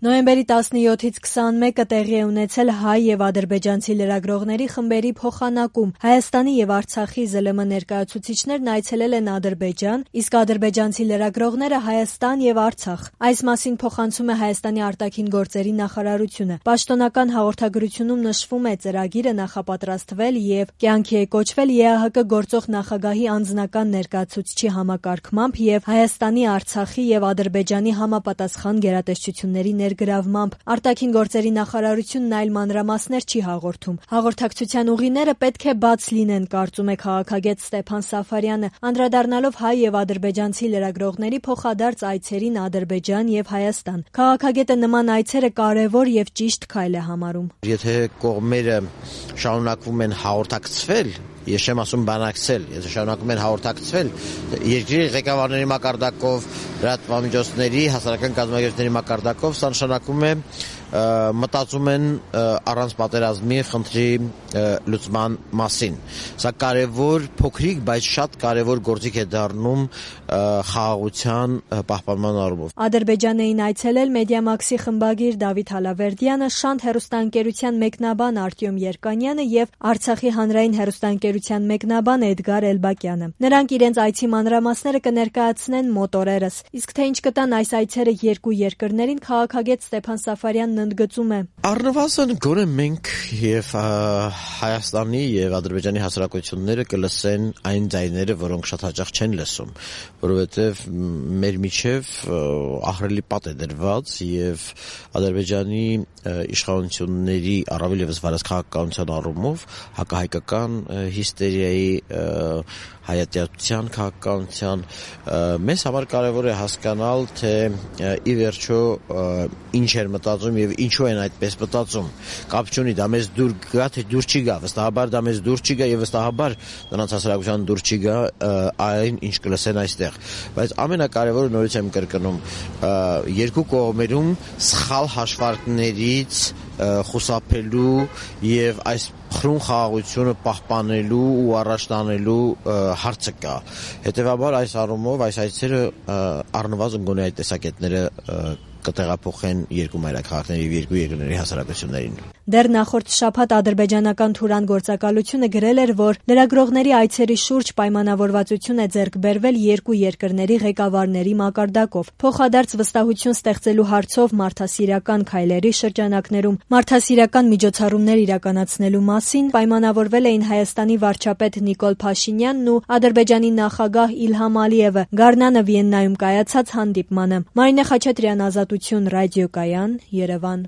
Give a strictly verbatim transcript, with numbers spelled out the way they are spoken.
Նոյեմբերի տասնյոթից քսանմեկը տեղի է ունեցել հայ եւ ադրբեջանցի լրագրողների խմբերի փոխանակում։ Հայաստանի եւ Արցախի ԶԼՄ ներկայացուցիչներն այցելել են Ադրբեջան, իսկ ադրբեջանցի լրագրողները Հայաստան եւ Արցախ։ Այս մասին փոխանցում է Հայաստանի արտաքին գործերի նախարարությունը։ Պաշտոնական հաղորդագրությունում նշվում է, ծրագիրը նախապատրաստվել եւ կյանքի է կոչվել ԵԱՀԿ գործող նախագահի անձնական ներկայացուցչի համակարգմամբ եւ Հայաստանի, Արցախի եւ Ադրբեջանի համապատասխան գերատեսչությունների գրավմամբ։ Արտաքին գործերի նախարարությունն այլ մանրամասներ չի հաղորդում։ Հաղորդակցության ուղիները պետք է բաց լինեն, կարծում է քաղաքագետ Ստեփան Սաֆարյանը, անդրադառնալով հայ եւ ադրբեջանցի լրագրողների փոխադարձ այցերին Ադրբեջան եւ Հայաստան։ Քաղաքագետը նման այցերը կարեւոր եւ ճիշտ քայլ է համարում։ Եթե կողմերը շարունակվում են հաղորդակցվել, ես չեմ ասում բանակցել, եթե շարունակում են հաղորդակցվել, երկրի ղեկավարների մակարդակով, լրատվամիջոցների, հասարակական կազմակերպությունների մակարդակով, սա նշանակում է մտածում են առանց պատերազմի խնդրի լուծման մասին։ Սա կարևոր, փոքրիկ, բայց շատ կարևոր գործիք է դառնում խաղաղության պահպանման առումով։ Ադրբեջան էին այցելել Մեդիամաքսի խմբագիր Դավիթ Հալավերդյանը, Շանթ հեռուստաընկերության մեկնաբան Արտյոմ Երկանյանը եւ Արցախի հանրային հեռուստաընկերության մեկնաբան Էդգար Էլբակյանը։ Նրանք իրենց այցի մանրամասները կներկայացնեն մոտ օրերս։ Իսկ թե ինչ կտան այս այցերը երկու երկրներին, քաղաքագետ Ստեփան Սաֆարյանն ընդգծում է. Առնվազն գոնե մենք եւ Հայաստանի եւ Ադրբեջանի հասարակությունները կլսեն այն ձայները, որոնք շատ հաճախ չեն լսում, որովհետեւ մեր միջև ահռելի պատ է դրված եւ Ադրբեջանի իշխանությունների առավել եւս վարազքաղաքականության առումով հակահայկական հիստերիայի, հայատյացության քաղաքականության մեզ համար կարևոր է հասկանալ, թե ի վերջո ինչ էր մտածում եւ ինչու են այդպես մտածում։ Կապ չունի, դա մեզ դուր գա, թե դուր չի գա, վստահաբար դա մեզ դուր չի գա եւ վստահաբար նրանց հասարակության դուր չի գա այն, ինչ կլսեն այստեղ։ Բայց ամենակարևորը նորից եմ կրկնում, երկու կողմերում սխալ հաշվարկներից խուսափելու եւ այս խրուն խաղաղությունը պահպանելու ու առաջ տանելու հարցը կա։ Հետևաբար այս առումով այս այցերը առնվազն գոնե այդ տեսակետները կտեղափոխեն երկու մայրաքաղաքների եւ երկու երկրների հասարակություններին։ Դեռ նախորդ շաբաթ ադրբեջանական Թուրան գործակալությունը գրել էր, որ լրագրողների այցերի շուրջ պայմանավորվածություն է ձեռք բերվել երկու երկրների ղեկավարների մակարդակով։ Փոխադարձ վստահություն ստեղծելու հարցով մարդասիրական քայլերի շրջանակներում մարդասիրական միջոցառումներ իրականացնելու մասին պայմանավորվել էին Հայաստանի վարչապետ Նիկոլ Փաշինյանն ու Ադրբեջանի նախագահ Իլհամ Ալիևը գարնանը Վիեննայում կայացած հանդիպմանը։ Մարինե Խաչատրյան, Ազատություն, ռադիոկայան, Երևան։